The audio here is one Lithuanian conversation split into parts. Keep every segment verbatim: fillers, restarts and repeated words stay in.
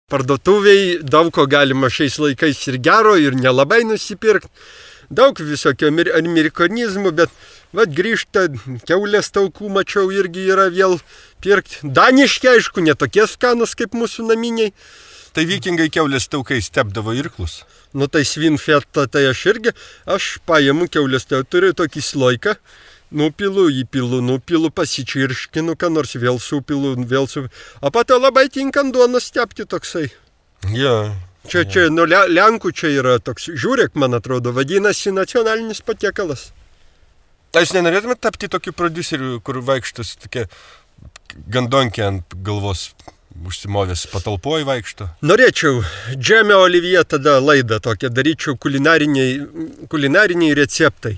Parduotuviai daug ko galima šiais laikais ir gero, ir nelabai nusipirkti. Daug visokio amerikonizmų, bet vat grįžta kiaulės taukų, mačiau, irgi yra vėl pirkti. Daniški, aišku, netokie skanus kaip mūsų naminiai. Tai vikingai kiaulės taukai stepdavo irklus. Nu tai svinfetą, tai aš irgi, aš paimu kiaulės tauką, turiu tokį sloiką, nupilu, įpilu, nupilu, pasičirškinu, ką nors vėl supilu, vėl supilu. O pato labai tinkant duoną stepti toksai. Ja. Čia, čia, nu, Lenkų čia yra toks, žiūrėk, man atrodo, vadinasi nacionalinis patiekalas. A jūs nenorėtumėte tapti tokiu prodiuseriu, kur vaikštas tokia gandonkė ant galvos užsimovęs patalpoj vaikšto? Norėčiau, Džemė Olivija tada laidą tokią daryčiau, kulinariniai, kulinariniai receptai.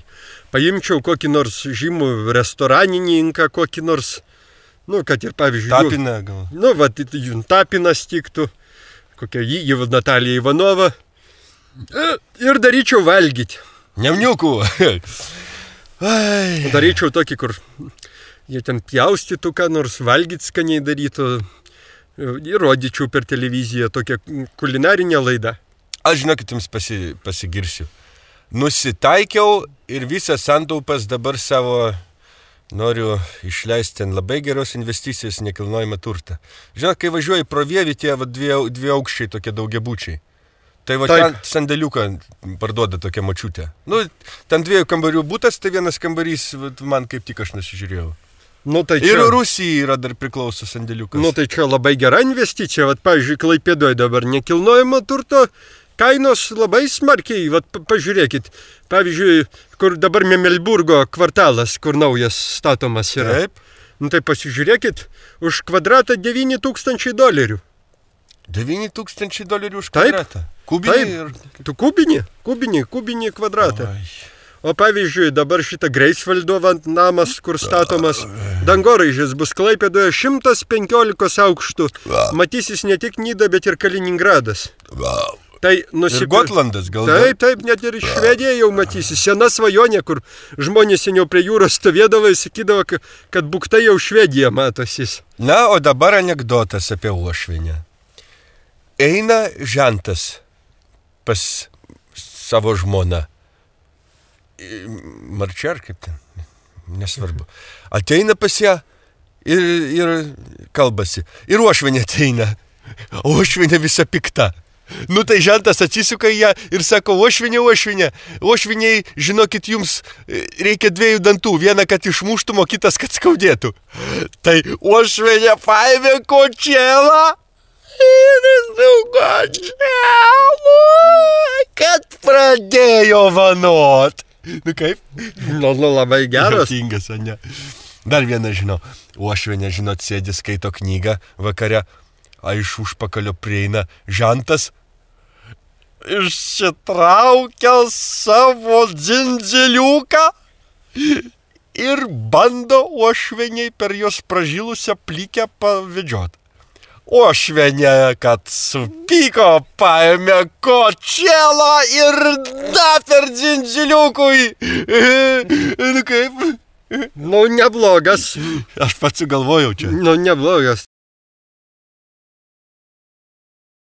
Paimčiau kokį nors žymų restoranininką, kokį nors, nu, kad ir pavyzdžiui... Tapiną gal? Nu, va, Tapinas tiktų. Kokia jį, Natalija Ivanova, ir daryčiau valgyti. Nemniukų. Daryčiau tokį, kur jie ten pjaustytų, ką nors valgyti skaniai darytų, ir rodyčiau per televiziją tokią kulinarinę laidą. Aš žinokit, jums pasi, pasigirsiu. Nusitaikiau ir visas santaupas dabar savo... Noriu išleisti ten labai geros investicijos nekilnojamą turtą. Žinot, kai važiuoji pro Vievį, tie va, dvi, dvi aukščiai tokie daugiabučiai. Tai va ten sandėliuką parduoda tokia močiutė. Nu, ten dviejų kambarių būtas, tai vienas kambarys va, man kaip tik aš nusižiūrėjau. Nu, tai čia... Ir Rusijai yra dar priklauso sandėliukas. Nu, tai čia labai gera investicija. Vat, pavyzdžiui, Klaipėdoje dabar nekilnojamo turto kainos labai smarkiai. Vat, pažiūrėkit, pavyzdžiui, kur dabar Memelburgo kvartalas, kur naujas statomas yra. Taip. Nu tai pasižiūrėkit, už kvadratą devyni tūkstančiai dolerių. devyni tūkstančiai dolerių už Taip. kvadratą? Kubinį? Ir... Tu kubinį, kubinį, kubinį kvadratą. Oi. O pavyzdžiui, dabar šitą Greifsvaldo namas, kur statomas, dangoraižis bus Klaipėdoje šimtas penkiolika aukštų. Matysis ne tik Nida, bet ir Kaliningradas. Tai nusipir... Ir Gotlandas gal? Taip, taip, net ir Švedija jau matysi. Sena svajonė, kur žmonės seniau prie jūros stovėdavo ir sakydavo, kad buktai jau Švedija matosis. Na, o dabar anekdotas apie uošvienę. Eina žentas pas savo žmoną. Marčiar kaip ten, nesvarbu. Ateina pas ją ir, ir kalbasi. Ir uošvienė ateina. Uošvienė visa pikta. Nu tai žentas atsisuka į ją ir sako, uošvinė, uošvinė, uošviniai, žinokit, jums reikia dviejų dantų, vieną, kad išmuštum, o kitas, kad skaudėtų. Tai uošvinė paėmė kočėlą ir su kočėlu, kad pradėjo vanot. Nu kaip? Nu, nu labai geras. Juokingas, o ne? Dar vieną žinau, uošvinė, žinot, sėdi, skaito knygą vakare, a iš užpakalio prieina žentas, išsitraukia savo dzindziliuką ir bando uošveniai per jos pražilusią plikę pavedžiot. Uošvenė, kad supyko, paėmė kočėlą ir da per dzindziliukui. Nu kaip? Nu neblogas. Aš pats sugalvojau čia. Nu neblogas.